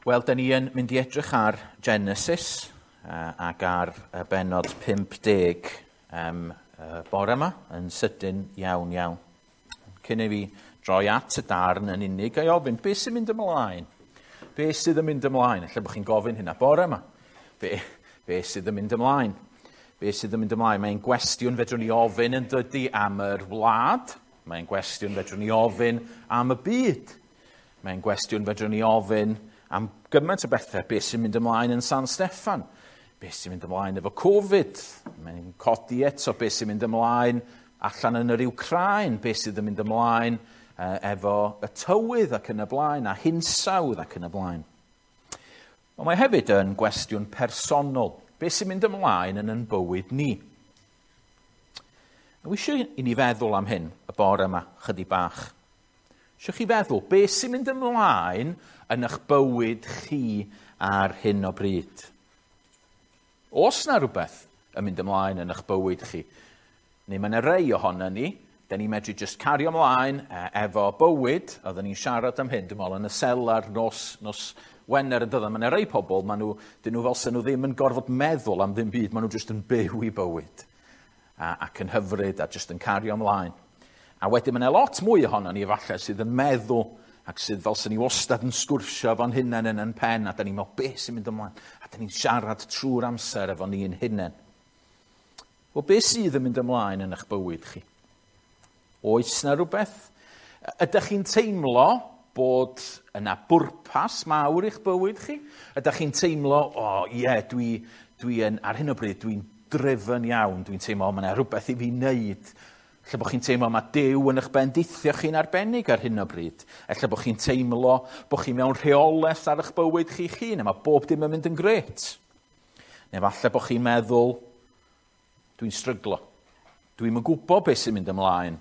Wel, da ni yn mynd i edrych ar Genesis ac ar y bennod 50 bore yma, yn sydyn iawn iawn. Cyn i fi droi at y darn yn unig, a'i ofyn, beth sy'n mynd ymlaen? Be sydd yn mynd ymlaen? Ella bod chi'n gofyn hynna bore yma. Be sydd yn mynd ymlaen? Be sydd yn mynd ymlaen? Mae'n gwestiwn fedrwn ni ofyn yn dydy am yr wlad. Mae'n gwestiwn fedrwn ni ofyn am y byd. Mae'n gwestiwn fedrwn ni ofyn am gymaint o bethau. Be sy'n mynd ymlaen yn San Steffan? Be sy'n mynd ymlaen efo Covid? Mae'n codi eto be sy'n mynd ymlaen allan yn yr Wcráin. Be sydd yn mynd ymlaen efo y tywydd ac yn y blaen, a hinsawdd ac yn y blaen. Ond mae hefyd yn gwestiwn personol. Be sy'n mynd ymlaen yn bywyd ni? Dwi eisiau i ni feddwl am hyn y bore yma, chydig bach. Eisiau chi feddwl, be sy'n mynd ymlaen yn eich bywyd chi ar hyn o bryd? Oes na rhywbeth yn mynd ymlaen yn eich bywyd chi? Neu mae yna rei ohono ni, da ni'n medru just cario ymlaen efo bywyd, oedden ni'n siarad am hyn, dwi'n meddwl, yn y selar nos Wener yn dyddan. Mae yna rei pobl, maen nhw, dyn nhw fel sy'n nhw ddim yn gorfod meddwl am ddim byd, maen nhw just yn byw i bywyd. Ac yn hyfryd a just yn cario ymlaen. A wedyn mae yna lot mwy ohono ni efallai sydd yn meddwl ac sydd fel sy'n ni wastad yn sgwrsio fo'n hunain yn pen, a da ni'n meddwl beth sy'n mynd ymlaen, a da ni'n siarad trwy'r amser efo ni'n hunain. Wel, beth sydd yn mynd ymlaen yn eich bywyd chi? Oes na rhywbeth? Ydych chi'n teimlo bod yna bwrpas mawr i'ch bywyd chi? Ydych chi'n teimlo, o oh, ie, yeah, dwi yn, ar hyn o bryd, dwi'n driven iawn, dwi'n teimlo, mae yna rhywbeth i fi wneud. Ella bod chi'n teimlo mae Duw yn eich bendithio chi'n arbennig ar hyn o bryd. Ella bod chi'n teimlo bod chi mewn rheolaeth ar eich bywyd chi'ch hun, a mae bob dim yn mynd yn grêt. Neu falle bod chi'n meddwl, dwi'n stryglo. Dwi'm yn gwybod beth sy'n mynd ymlaen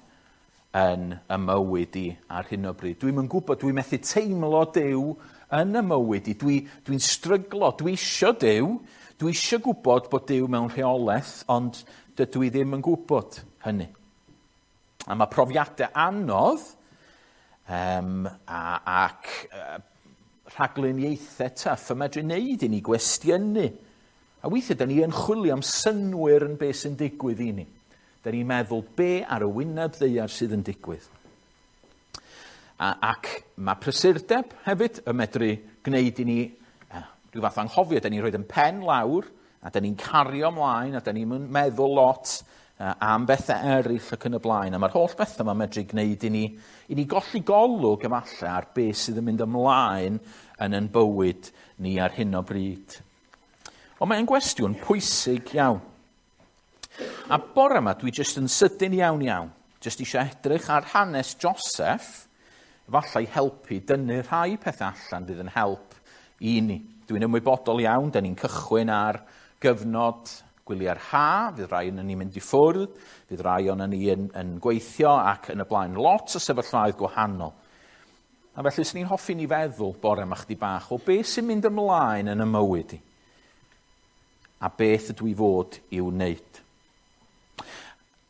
yn y mywyd i ar hyn o bryd. Dwi'm yn gwybod, dwi'n methu teimlo Duw yn y mywyd i. Dwi'n stryglo, dwi isio Duw, dwi isio gwybod bod Duw mewn rheolaeth, ond dydw i ddim yn gwybod hynny. A mae profiadau anodd ac rhagluniaethau tough yn medru wneud i ni gwestiynu. A weithiau, da ni yn chwilio am synnwyr yn beth sy'n digwydd i ni. Da ni'n meddwl be ar y wyneb ddaear sydd yn digwydd. Ac mae prysurdeb hefyd yn medru gwneud i ni rhyw fath anghofio. Da ni'n rhoi yn pen lawr, a da ni'n cario ymlaen, a da ni'n meddwl lot am bethau eraill ac yn y blaen. A mae'r holl bethau yma'n medru gwneud i ni golli golwg efallai ar beth sydd yn mynd ymlaen yn ein bywyd ni ar hyn o bryd. Ond mae'n gwestiwn pwysig iawn. A bore yma dwi jyst yn sydyn iawn iawn. Jyst eisiau edrych ar hanes Joseph, efallai helpu dynnu rhai pethau allan fydd yn help i ni. Dwi'n ymwybodol iawn, da ni'n cychwyn ar gyfnod gwyliau'r ha, fydd rai o'n ni'n mynd i ffwrdd, fydd rai o'n ni yn gweithio ac yn y blaen. Lot o sefyllfaoedd gwahanol. A felly, swn i'n hoffi ni feddwl bore yma chdi bach o beth sy'n mynd ymlaen yn y mywyd i. A beth ydw i fod i'w wneud.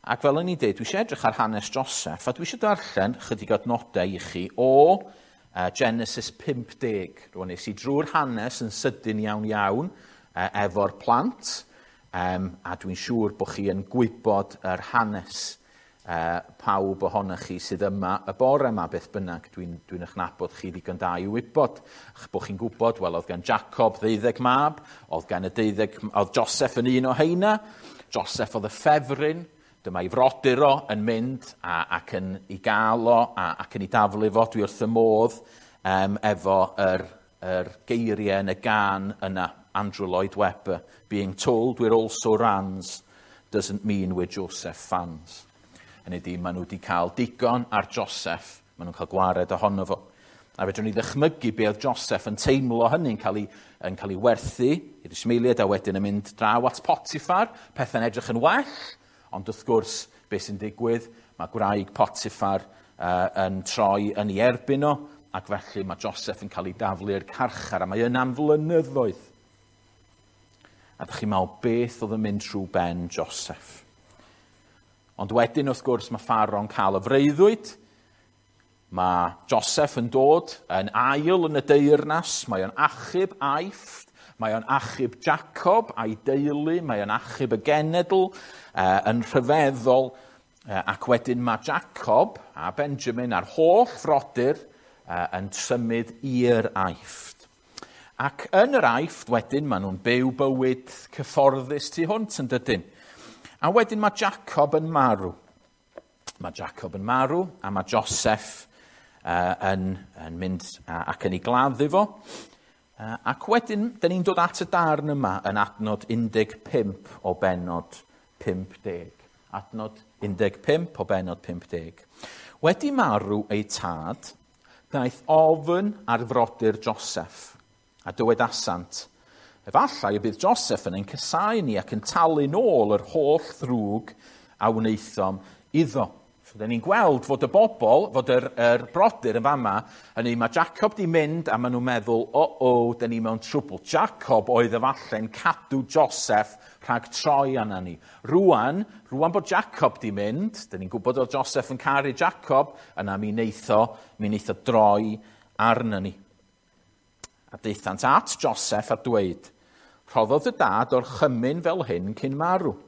Ac fel o'n i'n dweud, dwi eisiau edrych ar hanes Joseph, a dwi eisiau darllen chydig adnodau i chi o Genesis 50. Rwan nes i drwy'r hanes yn sydyn iawn iawn efo'r plant, a dwi'n siŵr bod chi yn gwybod yr hanes pawb ohonoch chi sydd yma y bore yma, beth bynnag, dwi'n eich nabod chi ddigon da i wybod. Ach, bod chi'n gwybod, wel, oedd gan Jacob 12 mab, oedd gan y 12, oedd Joseph yn un o heina, Joseph oedd y ffefryn, dyma ei frodyr o yn mynd ac yn ei gael o ac yn ei daflu fo. Dwi wrth y modd efo yr geiriau yn y gân yna, Andrew Lloyd Webber, being told we're also rans doesn't mean we're Joseph fans. Hynny ydi, maen nhw wedi cael digon ar Joseph, maen nhw'n cael gwared ohono fo. A fedrwn ni ddychmygu be oedd Joseph yn teimlo hynny, yn cael ei werthu i'r Ismaeliaid a wedyn yn mynd draw at Potiphar, pethau'n edrych yn well, ond wrth gwrs, beth sy'n digwydd, mae gwraig Potiphar yn troi yn ei erbyn o, ac felly mae Joseph yn cael ei daflu i'r carchar, a mae yna am flynyddoedd. A ydych chi'n meddwl beth oedd yn mynd trwy ben Joseph. Ond wedyn, wrth gwrs, mae Pharaoh'n cael y freuddwyd, Mae Joseph yn dod yn ail yn y deyrnas, mae o'n achub Aifft, mae o'n achub Jacob a'i deulu, mae o'n achub y genedl yn rhyfeddol, ac wedyn mae Jacob a Benjamin a'r holl frodyr yn symud i'r Aifft. Ac yn yr Aifft wedyn maen nhw'n byw bywyd cyfforddus tu hwnt yn dydyn. A wedyn mae Jacob yn marw. Mae Jacob yn marw a mae Joseph yn mynd ac yn ei gladdu fo. Ac wedyn, dyn ni'n dod at y darn yma yn adnod 15 o bennod 50. Adnod 15 o bennod 50. Wedi marw ei tad, daeth ofn ar frodyr Joseph, a dywedasant, efallai y bydd Joseph yn ein casáu ni ac yn talu nôl yr holl ddrwg a wnaethom iddo. So, dyn ni'n gweld fod y bobl, fod yr brodyr yn fama, hynny mae Jacob di mynd a maen nhw'n meddwl, o, dyn ni mewn trwbl. Jacob oedd efallai'n cadw Joseph rhag troi arna ni. Rwan bod Jacob di mynd, dyn ni'n gwybod oedd Joseph yn caru Jacob, yna mi wneith o droi arna ni. A daethant at Joseph a dweud, rhoddodd y dad orchymyn fel hyn cyn marw.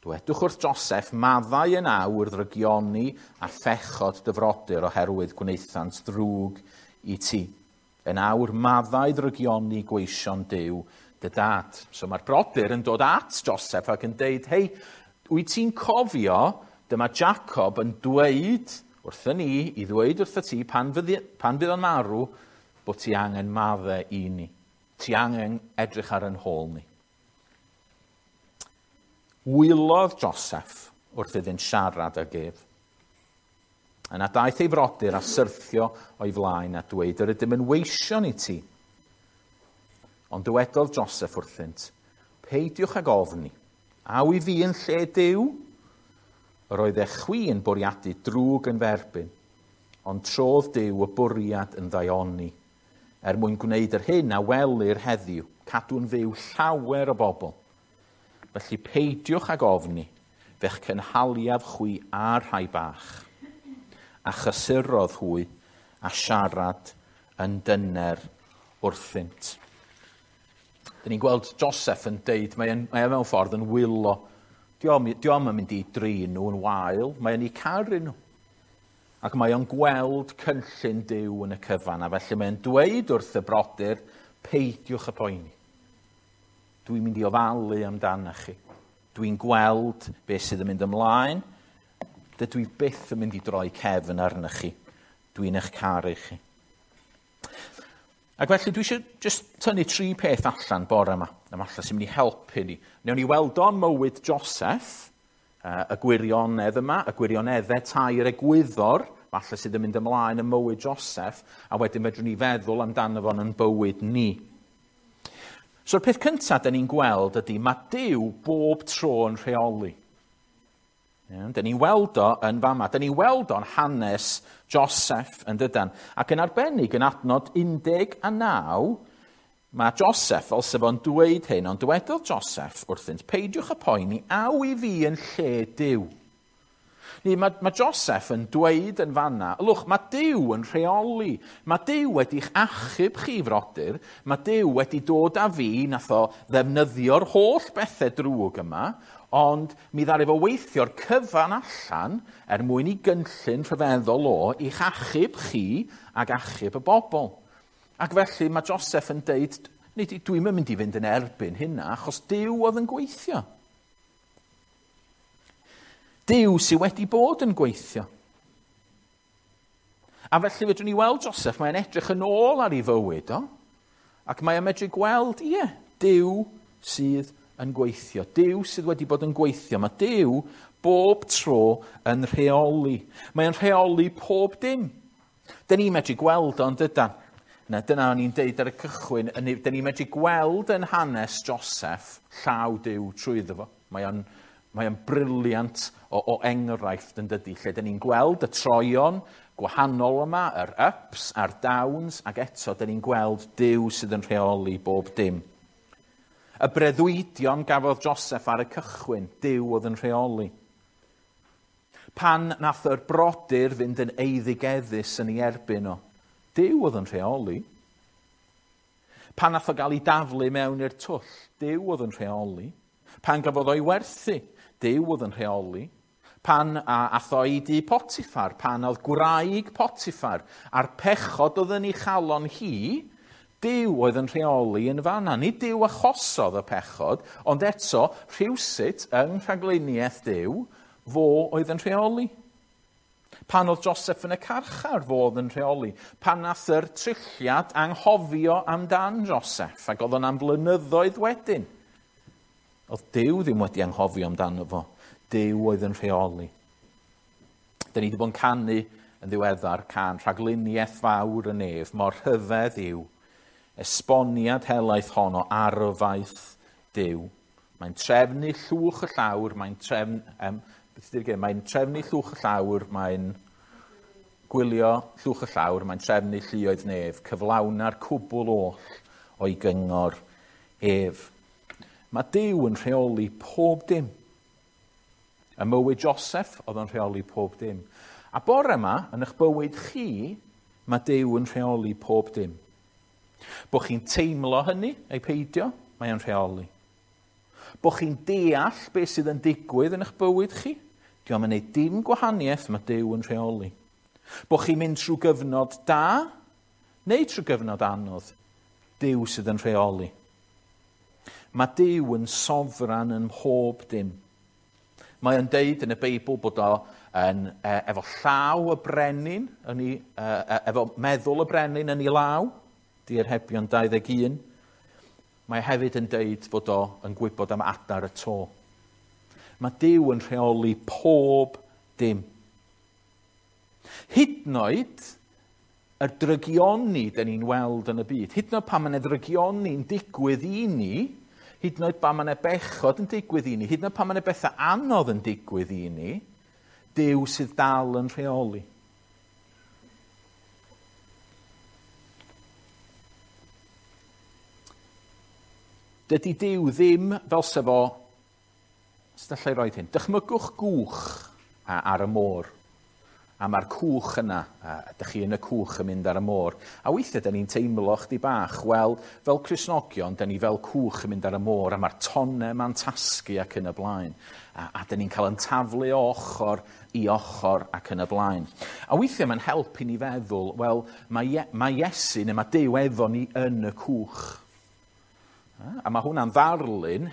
Dwedwch wrth Joseph, maddau yn awr ddrygioni a phechod dy frodyr oherwydd gwnaethant ddrwg i ti. Yn awr maddau ddrygioni gweision Duw dy dad. So mae'r brodyr yn dod at Joseph ac yn deud, hei, wyt ti'n cofio, dyma Jacob yn dweud wrthyn ni, i ddweud wrtho ti pan fydd o'n marw, bod ti angen maddau i ni. Ti angen edrych ar yn hôl ni. Wylodd Joseph wrth iddynt siarad ag ef. Yna daeth ei frodyr a syrthio o'i flaen a dweud, yr ydym yn weision i ti. Ond dywedodd Joseph wrthynt, peidiwch ag ofni, aw i fi yn lle Duw? Yr oedd eich chwi yn bwriadu drwg yn ferbyn, ond trodd Duw y bwriad yn ddaioni, er mwyn gwneud yr hyn a welir heddiw, cadw'n fyw llawer o bobl. Felly peidiwch ag ofni, fe'ch cynhaliaf chwi a'r rhai bach. A chysurodd hwy a siarad yn dyner wrthynt. Dyn ni'n gweld Joseph yn deud, mae mewn ffordd yn wylo. Dio'm yn mynd i drin nhw yn wael, mae o'n eu caru nhw. Ac mae o'n gweld cynllun Duw yn y cyfan, a felly mae'n dweud wrth y brodyr, peidiwch y poeni. Dwi'n mynd i ofalu amdanoch chi. Dwi'n gweld beth sydd yn mynd ymlaen. Dydw i byth yn mynd i droi cefn arnoch chi. Dwi'n eich caru chi. Ac felly dwi eisiau just tynnu tri peth allan bore yma. A falle sy'n mynd i helpu ni. Newn ni weld o'n mywyd Joseph, y gwirionedd yma, y gwirioneddau tair egwyddor, falle sydd yn mynd ymlaen yn mywyd Joseph, a wedyn fedrwn ni feddwl amdano fo'n yn bywyd ni. So'r peth cyntaf dyn ni'n gweld ydy mae Duw bob tro yn rheoli. Dyn ni'n weld o yn fama. Dyn ni'n weld o'n hanes Joseph yn dydan. Ac yn arbennig yn adnod 19, mae Joseph, fel sef o'n dweud hyn, ond dywedodd Joseph wrthynt, peidiwch y poeni, aw i fi yn lle Duw. Mae Joseph yn dweud yn fanna, lwch, mae Duw yn rheoli. Mae Duw wedi'ch achub chi, frodyr. Mae Duw wedi dod â fi, nath o ddefnyddio'r holl bethau drwg yma, ond mi ddaru fo weithio'r cyfan allan er mwyn i gynllun rhyfeddol o i'ch achub chi ac achub y bobl. Ac felly mae Joseph yn deud, dwi'm yn mynd i fynd yn erbyn hynna, achos Duw oedd yn gweithio. Duw sydd wedi bod yn gweithio. A felly fedrwn ni weld Joseph, mae'n edrych yn ôl ar ei fywyd o, ac mae'n medru gweld, ie, Duw sydd yn gweithio. Duw sydd wedi bod yn gweithio. Mae Duw bob tro yn rheoli. Mae'n rheoli pob dim. Dyn ni'n medru gweld o'n dydan. Na, dyna o'n i'n deud ar y cychwyn, dyn ni'n medru gweld yn hanes Joseph llaw Duw trwyddo fo. Mae o'n briliant o enghraifft yn dydy, lle dyn ni'n gweld y troion gwahanol yma, yr ups a'r downs, ac eto dyn ni'n gweld Duw sydd yn rheoli bob dim. Y breuddwydion gafodd Joseph ar y cychwyn, Duw oedd yn rheoli. Pan nath yr brodyr fynd yn eiddigeddus yn ei erbyn o, Duw oedd yn rheoli. Pan nath o gael ei daflu mewn i'r twll, Duw oedd yn rheoli. Pan gafodd o'i werthu, Duw oedd yn rheoli. Pan ath o i dŷ Potiffar, pan oedd gwraig Potiffar, a'r pechod oedd yn ei chalon hi, Duw oedd yn rheoli yn fanna. Nid Duw achosodd y pechod, ond eto, rhywsut yng rhagluniaeth Duw, fo oedd yn rheoli. Pan oedd Joseph yn y carchar, fo oedd yn rheoli. Pan nath yr trilliad anghofio amdan Joseph, ac oedd o'n am flynyddoedd wedyn. Oedd Duw ddim wedi anghofio amdano fo. Duw oedd yn rheoli. Da ni wedi bod yn canu yn ddiweddar can rhagluniaeth fawr y nef, mor rhyfedd yw esboniad helaeth hon o arfaeth Duw. Mae'n trefnu llwch y llawr, mae'n trefn, beth ydy'r gair? Mae'n trefnu llwch y llawr, mae'n gwylio llwch y llawr, mae'n trefnu lluoedd nef, cyflawna'r cwbl oll o'i gyngor ef. Mae Duw yn rheoli pob dim. Y mywyd Joseph oedd yn rheoli pob dim. A bore yma, yn eich bywyd chi, mae Duw yn rheoli pob dim. Bo chi'n teimlo hynny, ei peidio, mae o'n rheoli. Bo chi'n deall beth sydd yn digwydd yn eich bywyd chi, dio'm yn neud dim gwahaniaeth, mae Duw yn rheoli. Bo chi'n mynd trwy gyfnod da, neu trwy gyfnod anodd, Duw sydd yn rheoli. Mae Duw yn sofran yn mhob dim. Mae o'n deud yn y Beibl bod o yn, efo llaw y brenin, yn ei, efo meddwl y brenin yn ei law, Diharebion 21. Mae hefyd yn deud fod o yn gwybod am adar y to. Mae Duw yn rheoli pob dim. Hyd yn oed y drygioni dyn ni'n weld yn y byd, hyd yn oed pan mae 'na ddrygioni'n digwydd i ni, hyd yn oed pan mae 'na bechod yn digwydd i ni, hyd yn oed pan mae 'na bethau anodd yn digwydd i ni, Duw sydd dal yn rheoli. Dydy Duw ddim fel se fo, sut allai roed hyn, dychmygwch gwch ar y môr. A mae'r cwch yna, ydych chi yn y cwch yn mynd ar y môr. A weithiau, da ni'n teimlo chdi bach, wel, fel Cristnogion, da ni fel cwch yn mynd ar y môr, a mae'r tonnau ma'n tasgu ac yn y blaen. A da ni'n cael yn taflu o ochr i ochr ac yn y blaen. A weithiau mae'n help i ni feddwl, wel, mae Iesu neu mae Duw efo ni yn y cwch. A mae hwnna'n ddarlun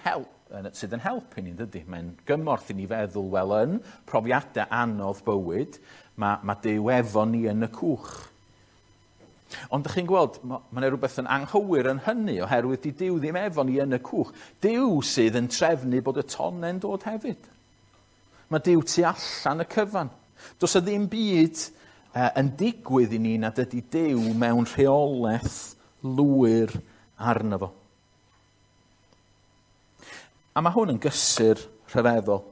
sydd yn helpu ni, dydy? Mae'n gymorth i ni feddwl, wel, yn profiadau anodd bywyd, mae Duw efo ni yn y cwch. Ond ydych chi'n gweld, mae yna rhywbeth yn anghywir yn hynny, oherwydd di Duw ddim efo ni yn y cwch. Duw sydd yn trefnu bod y tonnau'n dod hefyd. Mae Duw tu allan y cyfan. Does y ddim byd yn digwydd i ni nad ydy Duw mewn rheolaeth lwyr arno fo. A mae hwn yn gysur rhyfeddol.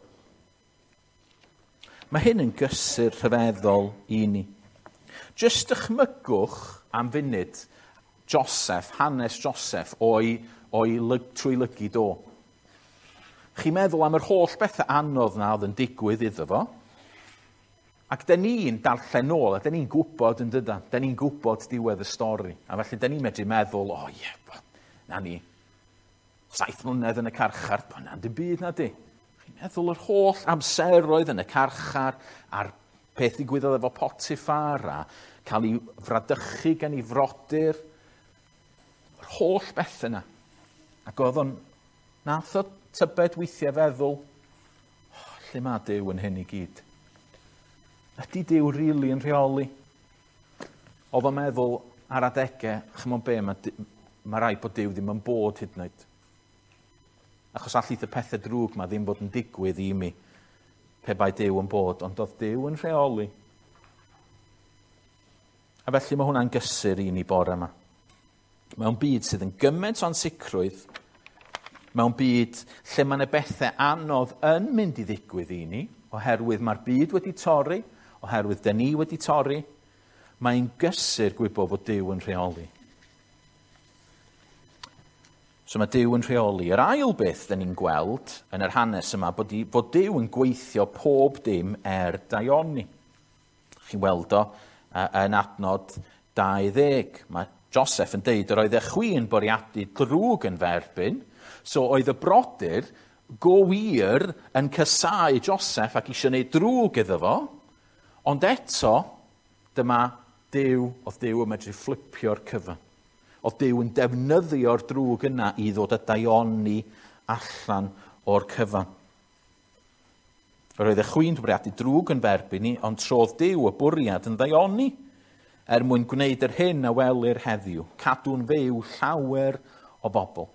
Mae hyn yn gysur rhyfeddol i ni. Jyst dychmygwch am funud Joseph, hanes Joseph, o'i trwy lygid o. Chi'n meddwl am yr holl bethau anodd na oedd yn digwydd iddo fo. Ac da ni'n darllen nôl, a da ni'n gwybod yn dydan, da ni'n gwybod diwedd y stori. A felly da ni'n medru meddwl, o ie, na ni, 7 mlynedd yn y carchar, na'n dim byd na di. Chi'n meddwl yr holl amseroedd yn y carchar, a'r peth ddigwyddodd efo Potiffar, a cael ei fradychu gan ei frodyr, yr holl beth yna. Ac oedd o'n, nath o tybed weithiau feddwl, oh, lle mae Duw yn hyn i gyd? Ydy Duw rili yn rheoli? Oedd o'n meddwl ar adegau, chymod be, mae rhaid bod Duw ddim yn bod hyd yn oed. Achos allith y pethau drwg ma ddim fod yn digwydd i mi pe bai Duw yn bod, ond oedd Duw yn rheoli. A felly mae hwnna'n gysur i ni bore yma. Mewn byd sydd yn gymaint o'n sicrwydd, mewn byd lle mae yna bethau anodd yn mynd i ddigwydd i ni, oherwydd mae'r byd wedi torri, oherwydd dyn ni wedi torri, mae'n gysur gwybod fod Duw yn rheoli. So mae Duw yn rheoli. Yr ail beth dyn ni'n gweld yn yr hanes yma, bod Duw yn gweithio pob dim er daioni. Chi'n weld o yn adnod 20. Mae Joseph yn deud, yr oedd e chwi yn bwriadu drwg yn fy erbyn, so oedd y brodyr go wir yn casáu Joseph ac eisiau gwneud drwg iddo fo, ond eto, dyma Duw, oedd Duw yn medru fflipio'r cyfan. Oedd Duw yn defnyddio'r drwg yna i ddod â daioni allan o'r cyfan. Yr oedd y chwi'n bwriadu drwg yn fy erbyn i, ond trodd Duw y bwriad yn ddaioni er mwyn gwneud yr hyn a welir heddiw, cadw'n fyw llawer o bobl.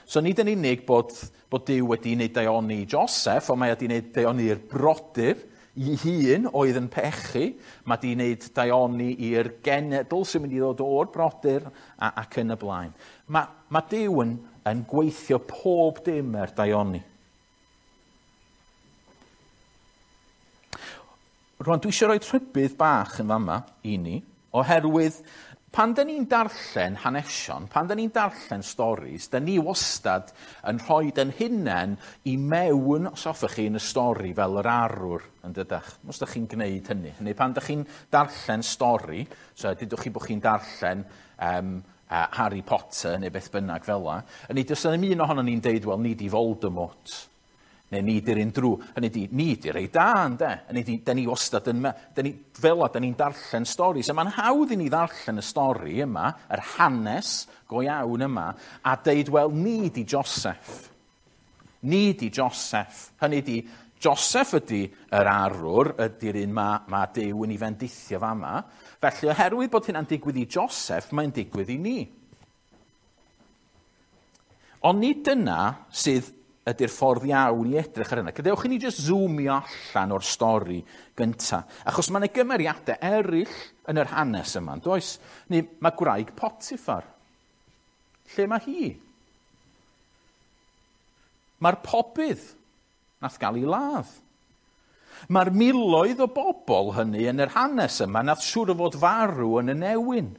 So nid yn unig bod Duw wedi wneud daioni i Joseph, ond mae wedi wneud daioni i'r brodyr i hun oedd yn pechu, mae wedi wneud daioni i'r genedl sy'n mynd i ddod o'r brodyr ac yn y blaen. Mae Duw yn gweithio pob dim er daioni. Rwan, dwi eisiau rhoi rhybudd bach yn fama i ni, oherwydd pan da ni'n darllen hanesion, pan da ni'n darllen storis, da ni wastad yn rhoi yn hunain i mewn, os hoffech chi, yn y stori fel yr arwr, yn dydach. Os da chi'n gwneud hynny. Neu pan da chi'n darllen stori, so dydwch chi bod chi'n darllen Harry Potter neu beth bynnag fel la, hynny, does 'na ddim un ohonon ni'n deud, wel, ni di Voldemort, neu ni di'r un drwg. Hynny di, ni di'r rei da, ynde? Hynny di, da ni wastad yn... Fel la, da ni'n darllen storis. A mae'n hawdd i ni ddarllen y stori yma, yr hanes go iawn yma, a deud, wel, ni di Joseph. Ni di Joseph. Hynny di, Joseph ydy yr arwr, ydy'r un mae Duw yn ei fendithio fama. Felly, oherwydd bod hynna'n digwydd i Joseph, mae'n digwydd i ni. Ond nid dyna sydd ydy'r ffordd iawn i edrych ar hynna. Gadewch i ni jyst zoomio allan o'r stori gynta. Achos mae yna gymeriadau eraill yn yr hanes yma, does? Neu mae gwraig Potiphar. Lle mae hi? Mae'r pobydd nath gael ei ladd. Mae'r miloedd o bobl hynny yn yr hanes yma nath siŵr o fod farw yn y newyn.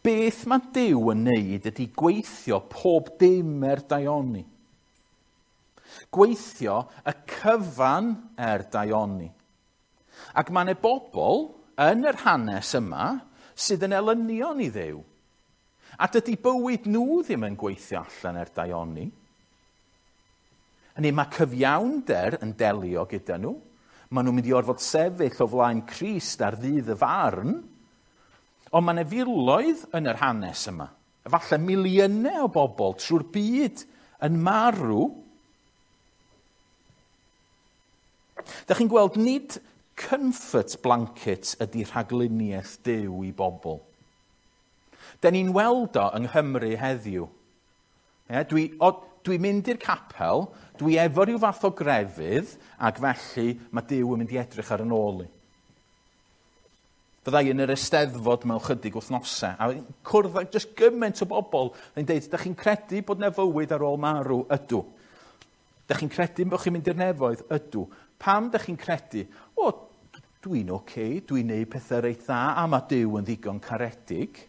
Beth mae Duw yn neud ydy gweithio pob dim er daioni. Gweithio y cyfan er daioni. Ac mae yna bobl yn yr hanes yma sydd yn elynion i Dduw. A dydy bywyd nhw ddim yn gweithio allan er daioni. Hynny, mae cyfiawnder yn delio gyda nhw. Maen nhw'n mynd i orfod sefyll o flaen Crist ar ddydd y farn. Ond mae yna filoedd yn yr hanes yma. Efallai miliynau o bobl trwy'r byd yn marw. Dach chi'n gweld, nid comfort blanket ydy rhagluniaeth Duw i bobl. Da ni'n weld o yng Nghymru heddiw. Ie, dwi'n mynd i'r capel, dwi efo rhyw fath o grefydd, ac felly mae Duw yn mynd i edrych ar yn ôl i. Fydda i yn yr Eisteddfod mewn chydig wythnosau, a cwrdd â jyst gymaint o bobl yn deud, da chi'n credu bod 'na fywyd ar ôl marw? Ydw. Da chi'n credu bod chi'n mynd i'r nefoedd? Ydw. Pam da chi'n credu? O, dwi'n oce, dwi'n neud pethau reit dda, a mae Duw yn ddigon caredig.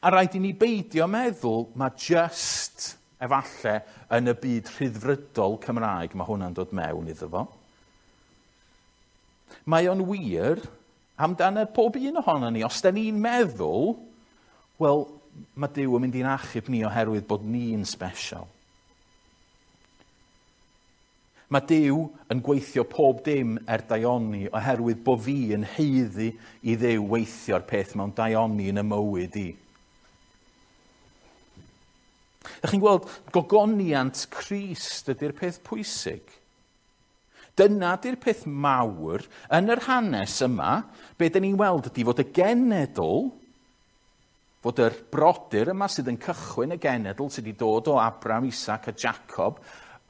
A rhaid i ni beidio meddwl, mae just efallai yn y byd rhyddfrydol Cymraeg mae hwnna'n dod mewn iddo fo. Mae o'n wir amdano pob un ohono ni. Os da ni'n meddwl, wel, mae Duw yn mynd i'n achub ni oherwydd bod ni'n special. Mae Duw yn gweithio pob dim er daioni oherwydd bod fi yn haeddu i Dduw weithio'r peth mewn daioni yn y mywyd i. Dach chi'n gweld, gogoniant Crist ydy'r peth pwysig. Dyna di'r peth mawr yn yr hanes yma, be dyn ni'n weld ydy fod y genedl, fod yr brodyr yma sydd yn cychwyn y genedl sydd wedi dod o Abraham, Isaac a Jacob,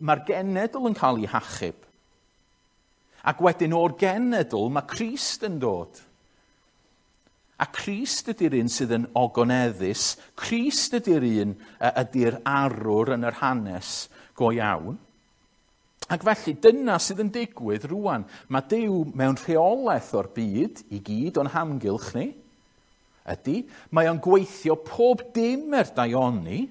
mae'r genedl yn cael ei hachub. Ac wedyn o'r genedl mae Crist yn dod. A Crist ydy'r un sydd yn ogoneddus, Crist ydy'r un ydy'r arwr yn yr hanes go iawn. Ac felly dyna sydd yn digwydd rwan. Mae Duw mewn rheolaeth o'r byd i gyd o'n hamgylch ni. Ydy, mae o'n gweithio pob dim er daioni.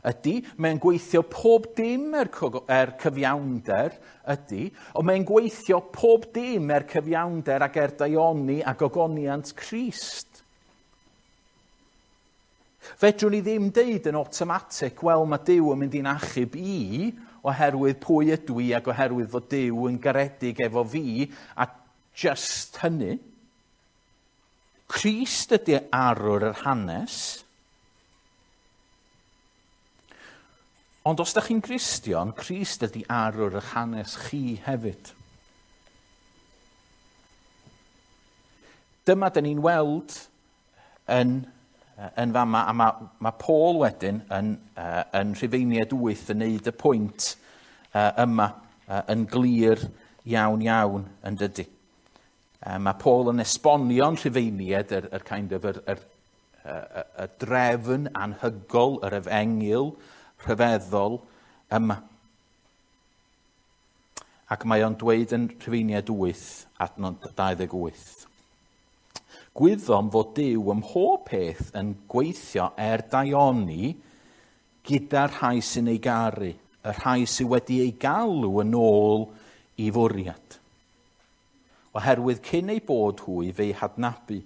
Ydy, mae'n gweithio pob dim er cyfiawnder. Ydy, ond mae'n gweithio pob dim er cyfiawnder ac er daioni a gogoniant Crist. Fedrwn ni ddim deud yn automatic, wel, mae Duw yn mynd i'n achub i oherwydd pwy ydw i ac oherwydd fod Duw yn garedig efo fi a just hynny. Crist ydy arwr yr hanes. Ond os da chi'n Gristion, Crist ydy arwr yr hanes chi hefyd. Dyma dyn ni'n weld yn fama, a mae Paul wedyn yn Rhufeiniaid 8 yn neud y pwynt yma yn glir iawn iawn yn dydy. Mae Paul yn esbonio'n Rhufeiniaid yr kind of y drefn anhygol, yr efengyl rhyfeddol yma. Ac mae o'n dweud yn Rhufeiniaid 8, adnod 28. Gwyddom fod Duw ym mhob peth yn gweithio er daioni gyda'r rhai sy'n ei garu, y rhai sydd wedi ei galw yn ôl i fwriad. Oherwydd cyn ei bod hwy fe'i hadnabu,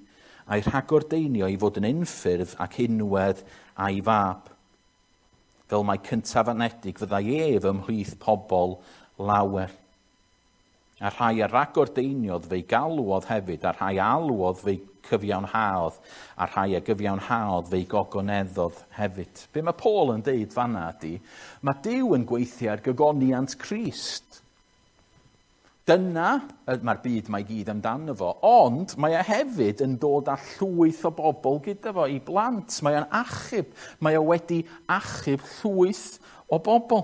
a'i rhagordeinio i fod yn unffurf ac unwedd a'i fab. Fel mai cyntaf anedig fyddai ef ymhlith pobl lawer. A rhai a ragordeiniodd fe'i galwodd hefyd, a rhai alwodd fe'i cyfiawnhaodd, a rhai a gyfiawnhaodd fe'i gogoneddodd hefyd. Be mae Paul yn deud fanna ydy, mae Duw yn gweithio ar gogoniant Crist. Dyna mae'r byd mae gyd amdano fo, ond mae e hefyd yn dod â llwyth o bobl gyda fo i blant. Mae o'n achub, mae o wedi achub llwyth o bobl.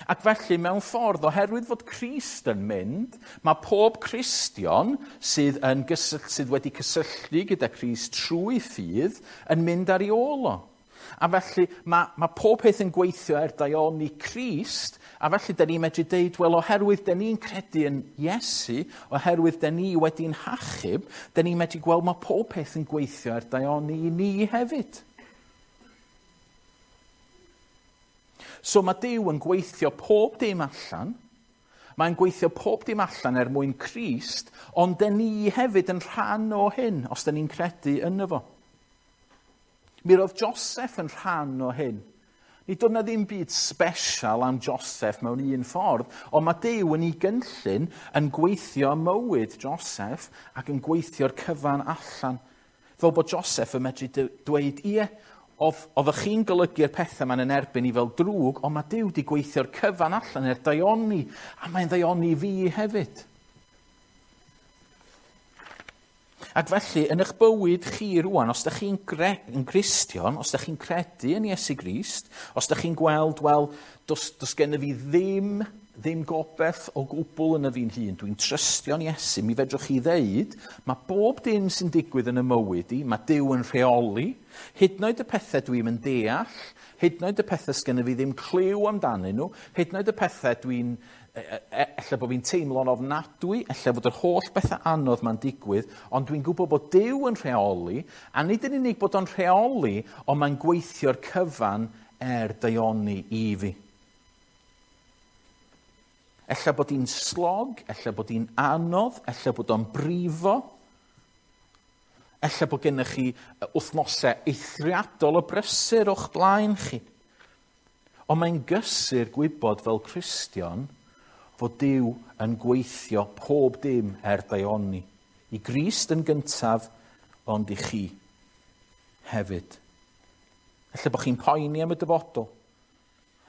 Ac felly, mewn ffordd, oherwydd fod Crist yn mynd, mae pob Cristion sydd wedi cysylltu gyda Crist trwy ffydd yn mynd ar ei ôl o. A felly, mae pob peth yn gweithio er daioni Crist, a felly, da ni'n medru deud, wel, oherwydd da ni'n credu yn Iesu, oherwydd da ni wedi'n hachub, da ni'n medru gweld mae pob peth yn gweithio er daioni i ni hefyd. So mae Duw yn gweithio pob dim allan, mae'n gweithio pob dim allan er mwyn Crist, ond da ni hefyd yn rhan o hyn, os da ni'n credu yno fo. Mi roedd Joseph yn rhan o hyn. Nid oedd 'na ddim byd special am Joseph mewn un ffordd, ond mae Duw yn ei gynllun yn gweithio mywyd Joseph ac yn gweithio'r cyfan allan. Fel bod Joseph yn medru dweud, ie, oeddech chi'n golygu'r pethau ma'n yn erbyn i fel drwg, ond mae Duw wedi gweithio'r cyfan allan er daioni, a mae'n ddaioni fi hefyd. Ac felly, yn eich bywyd chi rwan, os ydych chi'n Gristion, os ydych chi'n credu yn Iesu Grist, os ydych chi'n gweld, wel, does gennyf fi ddim gobaith o gwbl yn y fi'n hun, dwi'n trystio'n Iesu, mi fedrwch chi ddeud, mae bob dim sy'n digwydd yn y mywyd i, mae Duw yn rheoli, hyd yn oed y pethau dwi'n yn deall, hyd yn oed y pethau sgynny fi ddim cliw amdanyn nhw, hyd yn oed y pethau dwi'n ella bod fi'n teimlo'n ofnadwy, ella bod yr holl bethau anodd ma'n digwydd, ond dwi'n gwybod bod Duw yn rheoli, a nid yn unig bod o'n rheoli, ond mae'n gweithio'r cyfan er daioni i fi. Ella bod hi'n slog, ella bod hi'n anodd, ella bod o'n brifo, ella bod gennych chi wythnosau eithriadol o brysur o'ch blaen chi. Ond mae'n gysur gwybod fel Cristion fod Duw yn gweithio pob dim er daioni. I Grist yn gyntaf, ond i chi hefyd. Ella bod chi'n poeni am y dyfodol.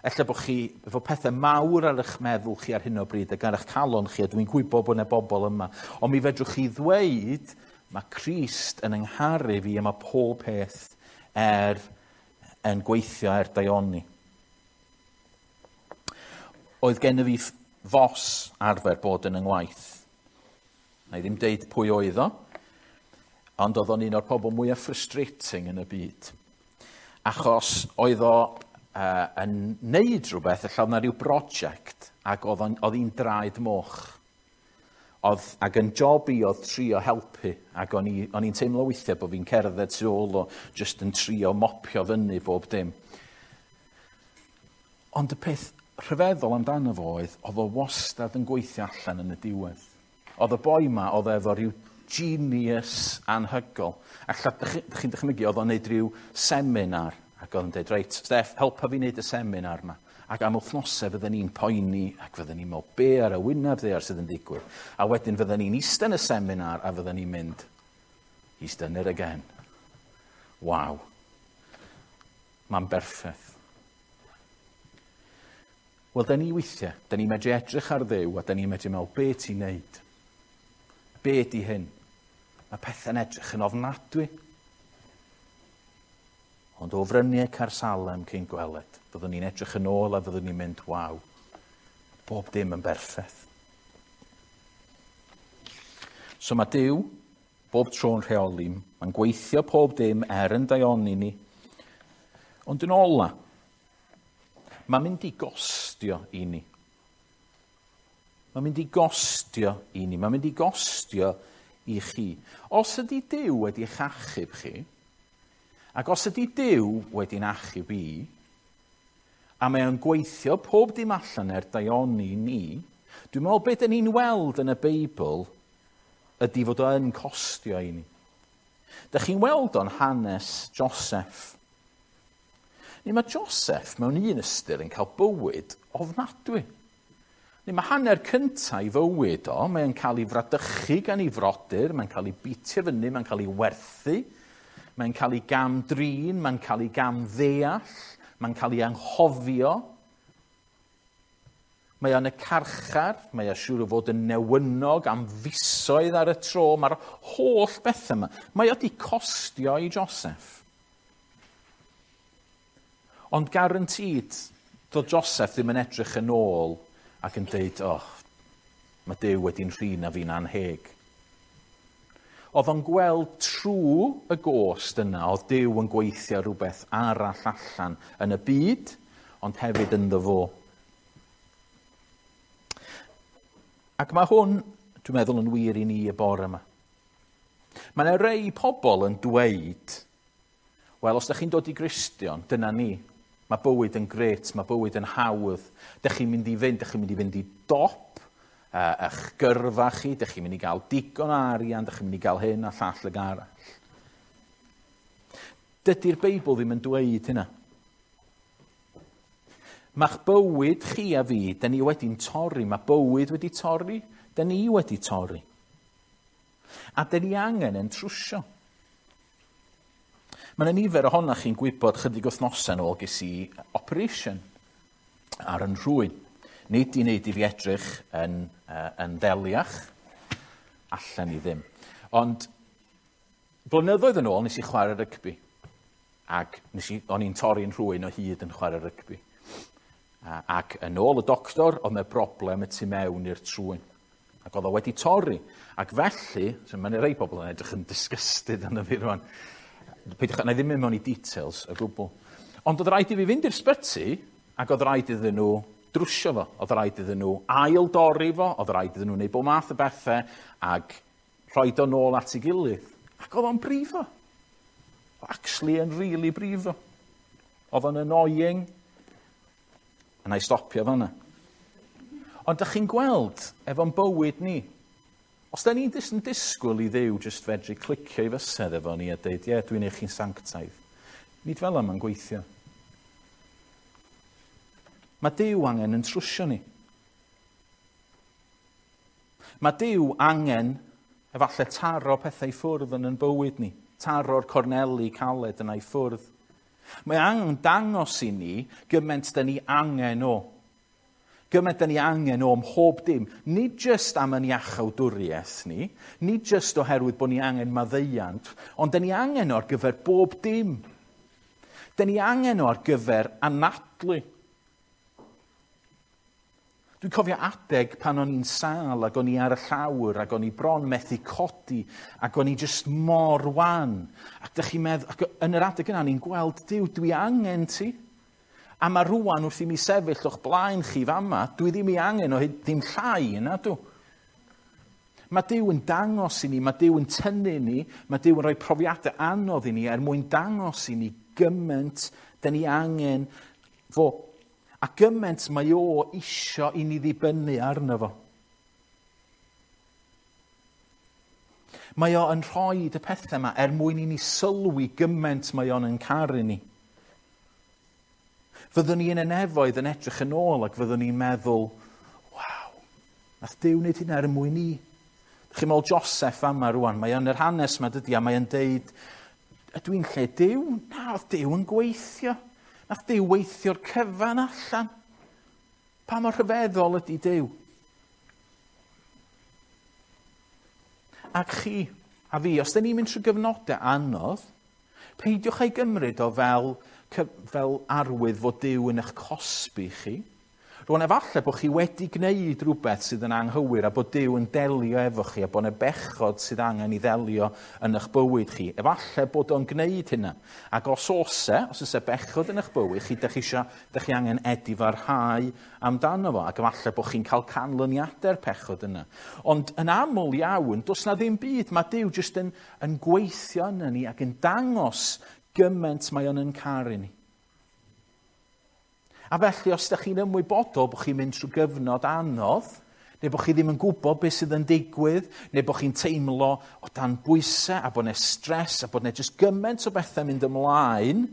Ella bod chi efo pethau mawr ar eich meddwl chi ar hyn o bryd ac ar eich calon chi, a dwi'n gwybod bod yna bobl yma. Ond mi fedrwch chi ddweud, mae Crist yn yngharu fi a mae pob peth er yn gweithio er daioni. Oedd gennyf fi fos arfer bod yn yng ngwaith. Na i ddim deud pwy oedd o, ond oedd o'n un o'r pobl mwyaf frustrating yn y byd. Achos oedd o yn neud rhywbeth, ella oedd 'na ryw brosiect, ac oedd hi'n draed moch. Oedd, ac yn job i oedd trio helpu, ac o'n i'n teimlo weithiau bod fi'n cerdded tu ôl o jyst yn trio mopio fyny bob dim. Ond y peth rhyfeddol amdano fo oedd, oedd o wastad yn gweithio allan yn y diwedd. Oedd y boi ma, oedd efo rhyw genius anhygol. A chi'n dychmygu, oedd o'n neud rhyw seminar, ac oedd o'n dweud, reit, Steff, helpa fi wneud y seminar ma. Ac am wythnosau fydden ni'n poeni, ac fydden ni'n meddwl, be ar y wyneb ddaear sydd yn digwydd. A wedyn fydden ni'n eistedd yn y seminar, a fydden ni'n mynd, he's done it again. Waw. Mae'n berffaith. Wel, da ni weithiau, da ni'n medru edrych ar Dduw, a da ni'n medru meddwl, be ti'n neud? Be di hyn? Mae pethau'n edrych yn ofnadwy. Ond o fryniau Caersalem cyn gweled, fyddwn ni'n edrych yn ôl a fyddwn ni'n mynd, waw, bob dim yn berffaith. So mae Duw bob tro'n rheoli, mae'n gweithio pob dim er yn daioni ni. Ond yn ola, mae'n mynd i gostio i ni. Mae'n mynd i gostio i ni. Mae'n mynd i gostio i chi. Os ydy Duw wedi eich achub chi, ac os ydy Duw wedi'n achub i, a mae o'n gweithio pob dim allan er daioni ni, dwi'n meddwl beth 'dan ni'n weld yn y Beibl ydy fod o'n costio i ni. Dych chi'n weld o'n hanes Joseph. Ni mae Joseph mewn un ystyr yn cael bywyd ofnadwy. Ni mae hanner cyntaf i fywyd o, mae'n cael ei fradychu gan ei frodyr, mae'n cael ei bitio fyny, mae'n cael ei werthu, mae'n cael ei gam-drin, mae'n cael ei gam-ddeall, mae'n cael ei anghofio. Mae o'n y carchar, mae o'n siŵr o fod yn newynog am fisoedd ar y tro, mae'r holl bethau yma. Mae o wedi costio i Joseph. Ond guaranteed, doedd Joseph ddim yn edrych yn ôl ac yn dweud, oh, mae Duw wedi'n rhin a fi'n anheg. Oedd o'n gweld trwy y gost yna, oedd Duw yn gweithio rhywbeth arall allan yn y byd, ond hefyd ynddo fo. Ac mae hwn, dwi'n meddwl, yn wir i ni y bore yma. Mae yna rei pobl yn dweud, wel, os ydych chi'n dod i Gristion, dyna ni. Mae bywyd yn grêt, mae bywyd yn hawdd. Dych chi'n mynd i fynd, dych chi'n mynd i fynd i dop eich gyrfa chi, dych chi'n mynd i gael digon o arian, dych chi'n mynd i gael hyn a llall ag arall. Dydy'r Beibl ddim yn dweud hynna. Mae'ch bywyd chi a fi, da ni wedi'n torri, mae bywyd wedi torri, da ni wedi torri. A da ni angen yn trwsio. Mae yna nifer ohonoch chi'n gwybod chydig wythnosau yn ôl ges i operation ar yn rhwyn. Nid i wneud i fi edrych yn ddeliach, allan i ddim. Ond blynyddoedd yn ôl nes i chwarae rygbi. Ac o'n i'n torri'n rhwyn o hyd yn chwarae rygbi. Ac yn ôl y doctor, oedd yna broblem y tu mewn i'r trwyn. Ac oedd o wedi torri. Ac felly, so mae'n rhai pobl yn edrych yn disgusted arno fi rwan. Peidiwch, na i ddim mynd mewn i details o gwbl. Ond oedd rhaid i fi fynd i'r sbyty, ac oedd rhaid iddyn nhw drwsio fo. Oedd rhaid iddyn nhw ail dorri fo, oedd rhaid iddyn nhw wneud bob math o bethau, ac rhoi o nôl at ei gilydd. Ac oedd o'n brifo. Actually yn really brifo. Oedd o'n annoying. A na i stopio fan'na. Ond dych chi'n gweld efo'n bywyd ni, os da ni'n yn disgwyl i Dduw jyst fedru clicio i fysedd efo ni a dweud, ie, dwi'n eich chi'n sanctaidd. Nid fel yma'n gweithio. Mae Duw angen yn trwsio ni. Mae Duw angen efallai taro pethau i ffwrdd yn bywyd ni, taro'r corneli caled yna i ffwrdd. Mae angen dangos i ni gymaint da ni angen o. Gymaint da ni angen o mhob dim. Nid jyst am yn iachawdwriaeth ni, nid jyst oherwydd bod ni angen maddeuant, ond da ni angen o ar gyfer bob dim. Da ni angen o ar gyfer anadlu. Dwi'n cofio adeg pan o'n i'n sâl ac o'n i ar y llawr ac o'n i bron methu codi ac o'n i jyst mor wan. Ac dych chi'n meddwl, ac yn yr adeg yna o'n i'n gweld, Duw, dwi angen ti. A mae rwan wrth i mi sefyll o'ch blaen chi fama, dwi ddim i angen o hyd ddim llai yna, dw. Mae Duw yn dangos i ni, mae Duw yn tynnu ni, mae Duw yn rhoi profiadau anodd i ni er mwyn dangos i ni gymaint da ni angen fo. A gymaint mae o isio i ni ddibynnu arno fo. Mae o yn rhoi y pethau yma er mwyn i ni sylwi gymaint mae o'n yn caru ni. Fyddwn ni yn y nefoedd yn edrych yn ôl ac fyddwn ni'n meddwl, waw, nath Duw wneud hynna er mwyn i. Chi'n meddwl Joseph yma rwan, mae o'n yr hanes yma dydy, a mae o'n deud, ydw i'n lle Duw? Na, oedd Duw yn gweithio. Nath Duw weithio'r cyfan allan. Pa mor rhyfeddol ydy Duw? Ac chi a fi, os da ni'n mynd trwy gyfnodau anodd, peidiwch ei gymryd o fel arwydd fod Duw yn eich cosbi chi. Rwan, efallai bod chi wedi gwneud rhywbeth sydd yn anghywir a bod Duw yn delio efo chi a bod yna bechod sydd angen i ddelio yn eich bywyd chi. Efallai bod o'n gwneud hynna. Ac os oes e bechod yn eich bywyd chi, dych chi angen edifarhau amdano fo. Ac efallai bod chi'n cael canlyniadau'r pechod yna. Ond yn aml iawn, does na ddim byd. Mae Duw jyst yn gweithio yna ni ac yn dangos gymaint mae o'n yn caru ni. A felly, os ydych chi'n ymwybodol bod chi'n mynd trwy gyfnod anodd, neu bod chi ddim yn gwybod beth sydd yn digwydd, neu bod chi'n teimlo o dan bwysau a bod yna stres a bod yna jyst gymaint o bethau mynd ymlaen,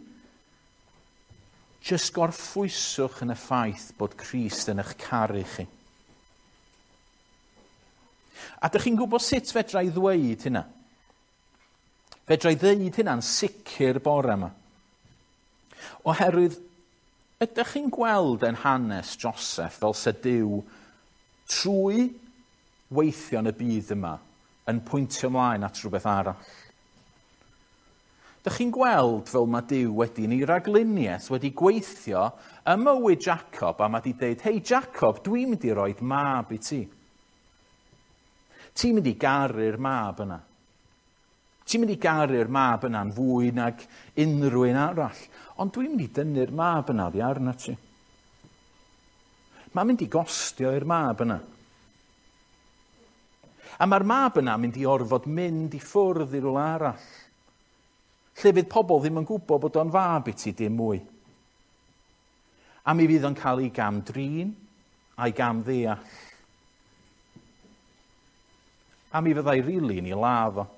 jyst gorffwyswch yn y ffaith bod Crist yn eich caru chi. A dych chi'n gwybod sut fedra i ddweud hynna? Fedra i ddweud hynna'n sicr bore yma. Oherwydd, ydych chi'n gweld yn hanes Joseph fel se Duw trwy weithio yn y byd yma yn pwyntio ymlaen at rhywbeth arall? Dych chi'n gweld fel mae Duw wedi yn ei ragluniaeth wedi gweithio ym mywyd Jacob a mae wedi dweud, hei Jacob, dwi'n mynd i roed mab i ti. Ti'n mynd i garu'r mab yna. Ti'n mynd i garu'r mab yna'n fwy nag unrhyw un arall. Ond dwi'n mynd i dynnu'r mab yna oddi arna ti. Mae'n mynd i gostio i'r mab yna. A mae'r mab yna mynd i orfod mynd i ffwrdd i rywle arall. Lle fydd pobl ddim yn gwybod bod o'n fab i ti dim mwy. A mi fydd o'n cael ei gam-drin a'i gam-ddeall. A mi fyddai rili yn ei ladd o.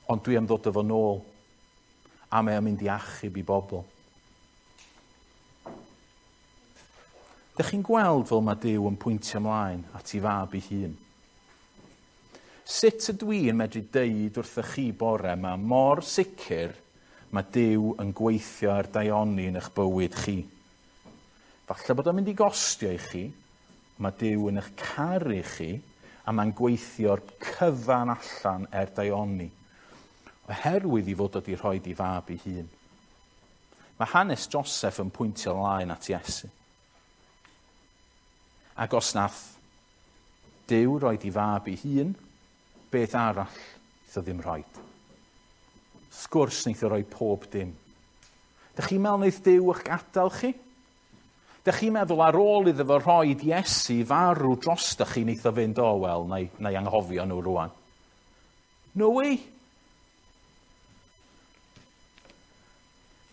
Ond dwi am ddod efo nôl, a mae o'n mynd i achub i bobl. Dych chi'n gweld fel mae Duw yn pwyntio ymlaen at ei fab ei hun? Sut ydw i yn medru deud wrthych chi bore yma mor sicr mae Duw yn gweithio ar daioni yn eich bywyd chi? Falle bod o'n mynd i gostio i chi, mae Duw yn eich caru chi, a mae'n gweithio'r cyfan allan er daioni. Oherwydd i fod wedi rhoi ei fab ei hun. Mae hanes Joseph yn pwyntio ymlaen at Iesu. Ac os nath Duw roed ei fab ei hun, beth arall wnaeth o ddim rhoid? Sgwrs wnaeth o roi pob dim. Dych chi'n meddwl wnaeth Duw eich gadael chi? Dych chi'n meddwl ar ôl iddo fo rhoid Iesu farw drostoch chi wnaeth o fynd, o wel, na i anghofio nhw rwan. No way!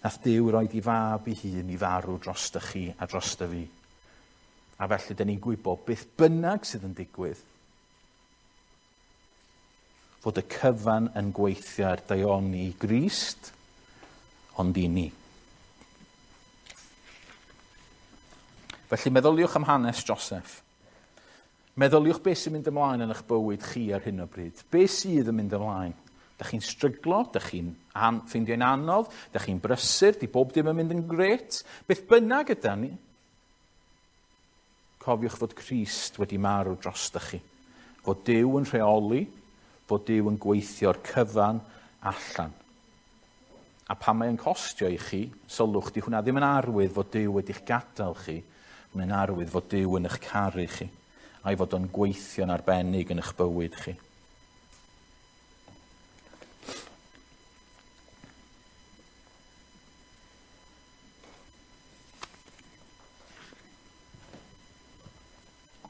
Nath Duw roed ei fab ei hun i farw drostoch chi a drosto fi. A felly, dyn ni'n gwybod beth bynnag sydd yn digwydd, fod y cyfan yn gweithio ar daioni i Grist, ond i ni. Felly meddyliwch am hanes Joseph. Meddyliwch beth sy'n mynd ymlaen yn eich bywyd chi ar hyn o bryd. Beth sydd yn mynd ymlaen? Dych chi'n stryglo, dych chi'n ffeindio'n anodd, dych chi'n brysur, di bob dim yn mynd yn grêt. Beth bynnag yda ni, cofiwch fod Crist wedi marw drostoch chi. Fod Duw yn rheoli, fod Duw yn gweithio'r cyfan allan. A pan mae'n costio i chi, sylwch, di hwnna ddim yn arwydd fod Duw wedi'ch gadael chi, mae'n arwydd fod Duw yn eich caru chi, a'i fod o'n gweithio'n arbennig yn eich bywyd chi.